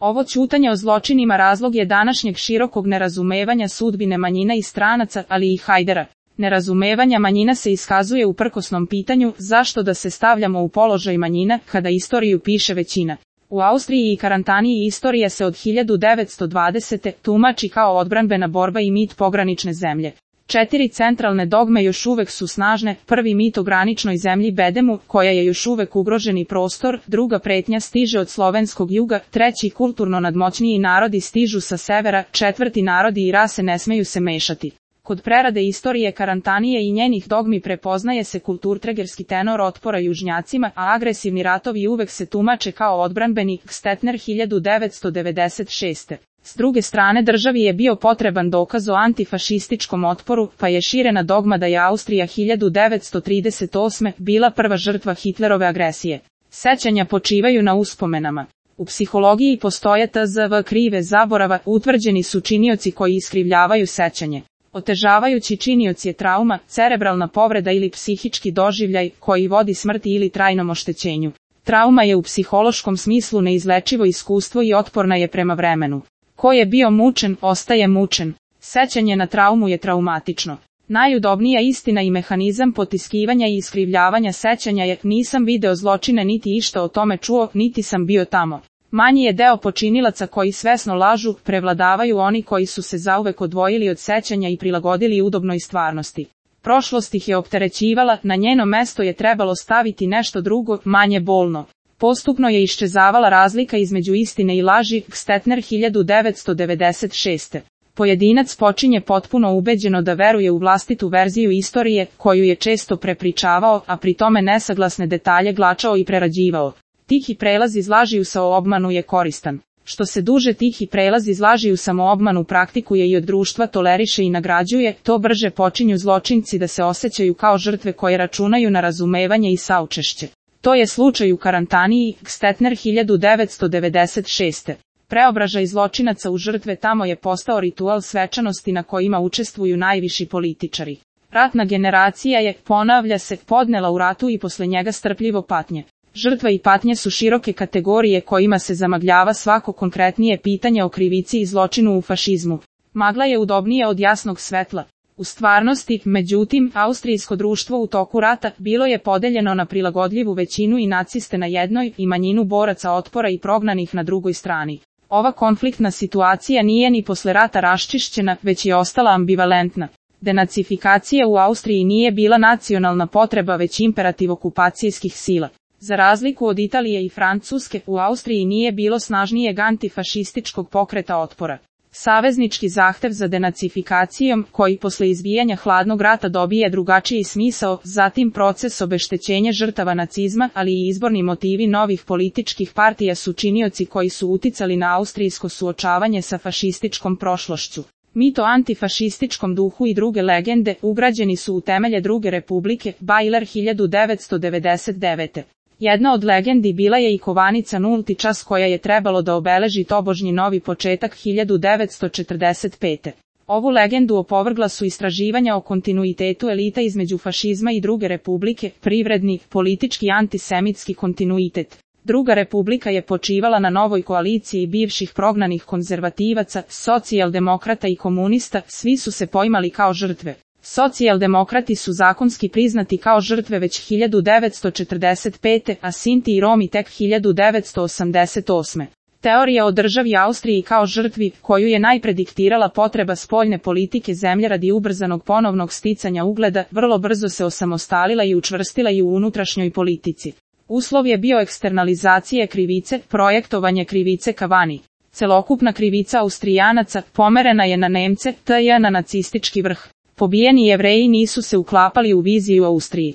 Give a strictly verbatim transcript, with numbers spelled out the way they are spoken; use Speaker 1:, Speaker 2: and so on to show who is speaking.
Speaker 1: Ovo ćutanje o zločinima razlog je današnjeg širokog nerazumevanja sudbine manjina i stranaca, ali i Hajdara. Nerazumevanja manjina se iskazuje u prkosnom pitanju zašto da se stavljamo u položaj manjina kada istoriju piše većina. U Austriji i Karantaniji istorija se od hiljadu devetsto dvadesete. tumači kao odbranbena borba i mit pogranične zemlje. Četiri centralne dogme još uvek su snažne, prvi mit o graničnoj zemlji Bedemu, koja je još uvek ugroženi prostor, druga pretnja stiže od slovenskog juga, treći kulturno nadmoćniji narodi stižu sa severa, četvrti narodi i rase ne smeju se mešati. Kod prerade istorije Karantanije i njenih dogmi prepoznaje se kulturtregerski tenor otpora južnjacima, a agresivni ratovi uvek se tumače kao odbranbeni. Stetner hiljadu devetsto devedeset šeste. S druge strane državi je bio potreban dokaz o antifašističkom otporu, pa je širena dogma da je Austrija hiljadu devetsto trideset osme. bila prva žrtva Hitlerove agresije. Sećanja počivaju na uspomenama. U psihologiji postoje T Z V krive zaborava, utvrđeni su činioci koji iskrivljavaju sećanje. Otežavajući činioc je trauma, cerebralna povreda ili psihički doživljaj koji vodi smrti ili trajnom oštećenju. Trauma je u psihološkom smislu neizlečivo iskustvo i otporna je prema vremenu. Ko je bio mučen, ostaje mučen. Sećanje na traumu je traumatično. Najudobnija istina i mehanizam potiskivanja i iskrivljavanja sećanja je: nisam video zločine niti išta o tome čuo, niti sam bio tamo. Manji je deo počinilaca koji svesno lažu, prevladavaju oni koji su se zauvek odvojili od sećanja i prilagodili udobnoj stvarnosti. Prošlost ih je opterećivala, na njeno mesto je trebalo staviti nešto drugo, manje bolno. Postupno je iščezavala razlika između istine i laži. Stetner hiljadu devetsto devedeset šeste. Pojedinac počinje potpuno ubeđeno da veruje u vlastitu verziju istorije, koju je često prepričavao, a pri tome nesaglasne detalje glačao i prerađivao. Tihi prelaz iz laži u samoobmanu je koristan. Što se duže tihi prelaz iz laži u samoobmanu praktikuje i od društva toleriše i nagrađuje, to brže počinju zločinci da se osjećaju kao žrtve koje računaju na razumevanje i saučešće. To je slučaj u Karantaniji. Stetner hiljadu devetsto devedeset šeste. Preobražaj zločinaca u žrtve tamo je postao ritual svečanosti na kojima učestvuju najviši političari. Ratna generacija je, ponavlja se, podnela u ratu i posle njega strpljivo patnje. Žrtva i patnje su široke kategorije kojima se zamagljava svako konkretnije pitanje o krivici i zločinu u fašizmu. Magla je udobnija od jasnog svetla. U stvarnosti, međutim, austrijsko društvo u toku rata bilo je podeljeno na prilagodljivu većinu i naciste na jednoj i manjinu boraca otpora i prognanih na drugoj strani. Ova konfliktna situacija nije ni posle rata raščišćena, već je ostala ambivalentna. Denacifikacija u Austriji nije bila nacionalna potreba već imperativ okupacijskih sila. Za razliku od Italije i Francuske, u Austriji nije bilo snažnijeg antifašističkog pokreta otpora. Saveznički zahtev za denacifikacijom, koji posle izbijanja hladnog rata dobije drugačiji smisao, zatim proces obeštećenja žrtava nacizma, ali i izborni motivi novih političkih partija su činioci koji su uticali na austrijsko suočavanje sa fašističkom prošlošću. Mit o antifašističkom duhu i druge legende ugrađeni su u temelje Druge republike. Bajler hiljadu devetsto devedeset devete. Jedna od legendi bila je i kovanica nulti čas koja je trebalo da obeleži tobožnji novi početak hiljadu devetsto četrdeset pete. Ovu legendu opovrgla su istraživanja o kontinuitetu elita između fašizma i Druge republike, privredni, politički antisemitski kontinuitet. Druga republika je počivala na novoj koaliciji bivših prognanih konzervativaca, socijaldemokrata i komunista, svi su se poimali kao žrtve. Socijaldemokrati su zakonski priznati kao žrtve već hiljadu devetsto četrdeset pete. a Sinti i Romi tek hiljadu devetsto osamdeset osme. Teorija o državi Austriji kao žrtvi, koju je najprediktirala potreba spoljne politike zemlje radi ubrzanog ponovnog sticanja ugleda, vrlo brzo se osamostalila i učvrstila i u unutrašnjoj politici. Uslov je bio eksternalizacije krivice, projektovanje krivice ka vani. Celokupna krivica Austrijanaca pomerena je na Nemce, tj. na nacistički vrh. Pobijeni Jevreji nisu se uklapali u viziju Austriji.